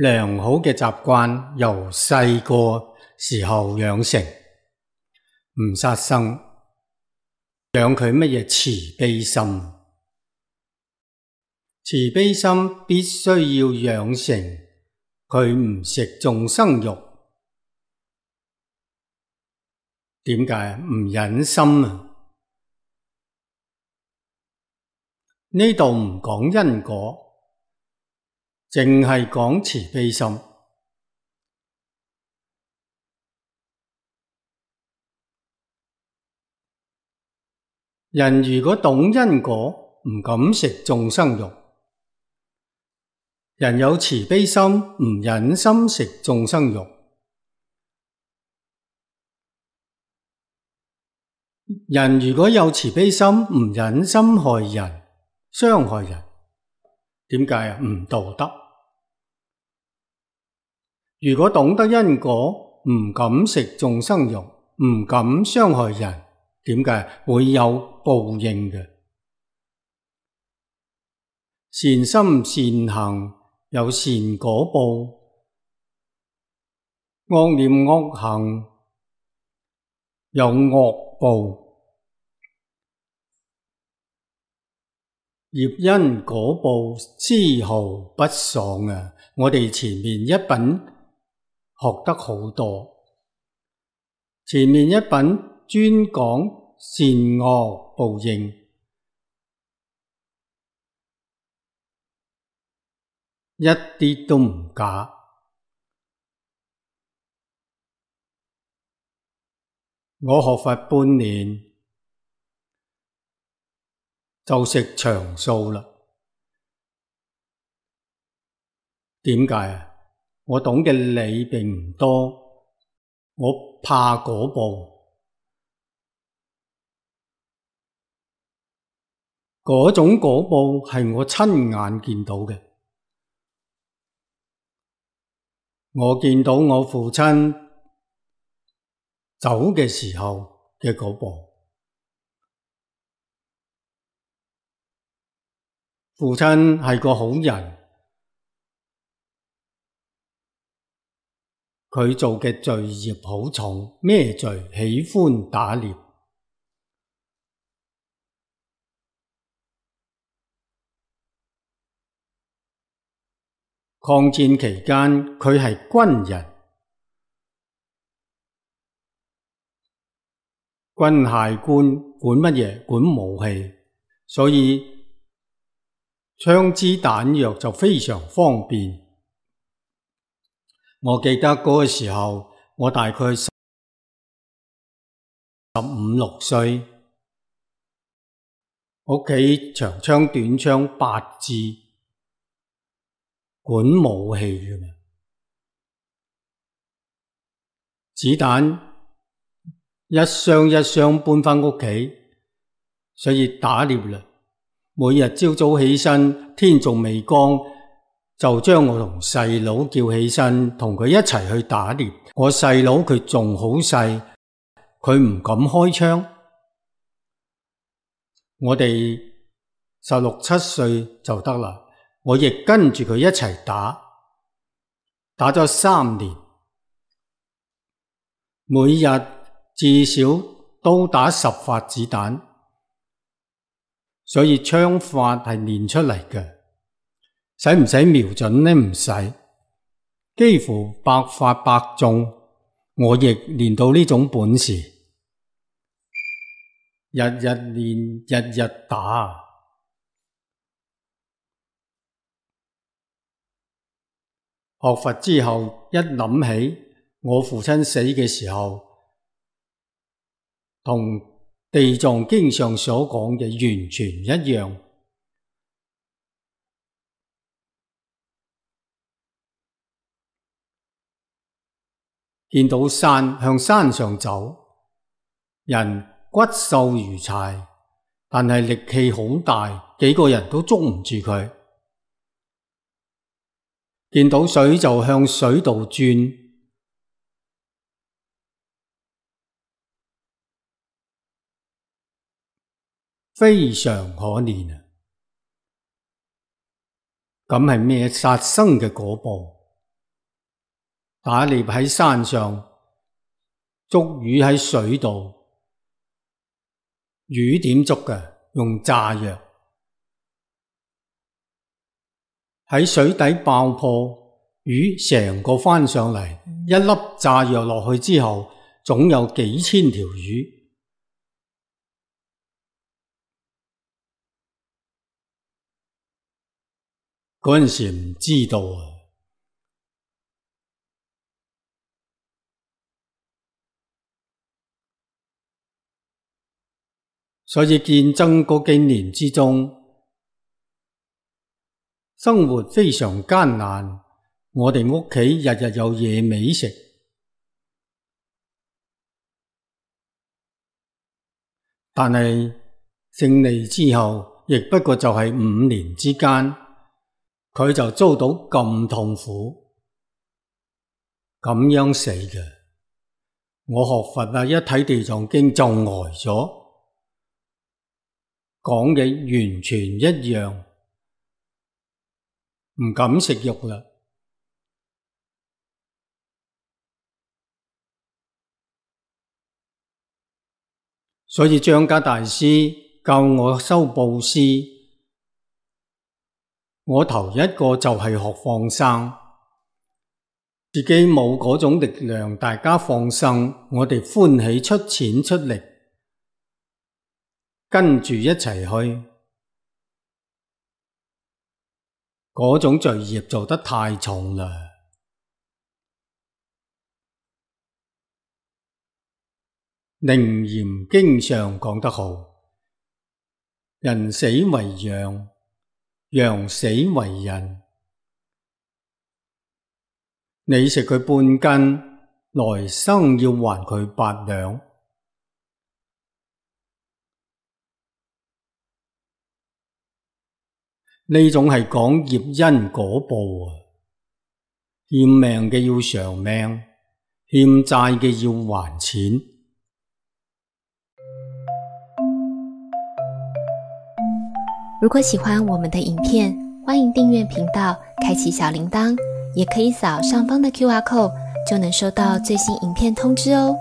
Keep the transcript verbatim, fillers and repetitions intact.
良好嘅習慣由細個時候養成，唔殺生，養佢乜嘢慈悲心。慈悲心必須要養成，佢唔食眾生肉。點解？唔忍心啊！呢度唔講因果，淨係講慈悲心。人如果懂因果，唔敢食眾生肉；人有慈悲心，唔忍心食眾生肉。人如果有慈悲心，唔忍心害人、傷害人，點解啊？唔道德。如果懂得因果，唔敢食眾生肉，唔敢傷害人，點解？會有報應嘅。善心善行有善果報，惡念惡行有惡報。業因果報絲毫不爽啊！我哋前面一品學得好多，前面一品專講善惡報應，一啲都唔假。我學佛半年就食長素啦。點解啊？我懂嘅理並唔多，我怕果報。嗰種果報係我親眼見到嘅。我見到我父親走嘅時候嘅果報。父親係個好人，佢做嘅罪業好重。咩罪？喜歡打獵。抗戰期間，佢係軍人，軍械官管乜嘢？管武器，所以槍支彈藥就非常方便。我記得嗰個時候，我大概十五六歲，屋企長槍短槍八支，管武器嘅嘛，子彈一箱一箱搬返屋企，所以打獵啦。每日朝早起身，天仲未光，就將我同細佬叫起身，同佢一齊去打獵。我細佬佢仲好細，佢唔敢開槍。我哋十六七歲就得啦，我亦跟住佢一齊打，打咗三年，每日至少都打十發子彈，所以槍法係練出嚟嘅。使唔使瞄準呢？唔使，幾乎百發百中。我亦練到呢種本事，日日練，日日打。學佛之後，一諗起我父親死嘅時候，同地藏經上所講嘅完全一樣。見到山，向山上走，人骨瘦如柴，但係力氣好大，幾個人都捉唔住佢。見到水就向水度轉，非常可憐啊！咁係咩？殺生嘅果報。打獵喺山上，捉魚喺水度。魚點捉嘅？用炸藥。喺水底爆破，魚成個翻上嚟，一粒炸藥落去之後，總有幾千條魚。嗰陣時唔知道啊。所以戰爭嗰幾年之中，生活非常艱難。我哋屋企日日有野味食，但係勝利之後，亦不過就係五年之間，佢就遭到咁痛苦，咁樣死嘅。我學佛啊，一睇地藏經就呆咗。講嘅完全一樣，唔敢食肉啦。所以張家大師教我修布施，我頭一個就係學放生，自己冇嗰種力量，大家放生，我哋歡喜出錢出力。跟住一齊去，嗰種罪業做得太重啦。楞嚴經上講得好，人死為羊，羊死為人。你食佢半斤，來生要還佢八兩。呢種係講業因果報啊，欠命嘅要償命，欠債嘅要還錢。如果喜歡我們的影片，歡迎訂閱頻道，開啟小鈴鐺，也可以掃上方的 Q R code，就能收到最新影片通知哦。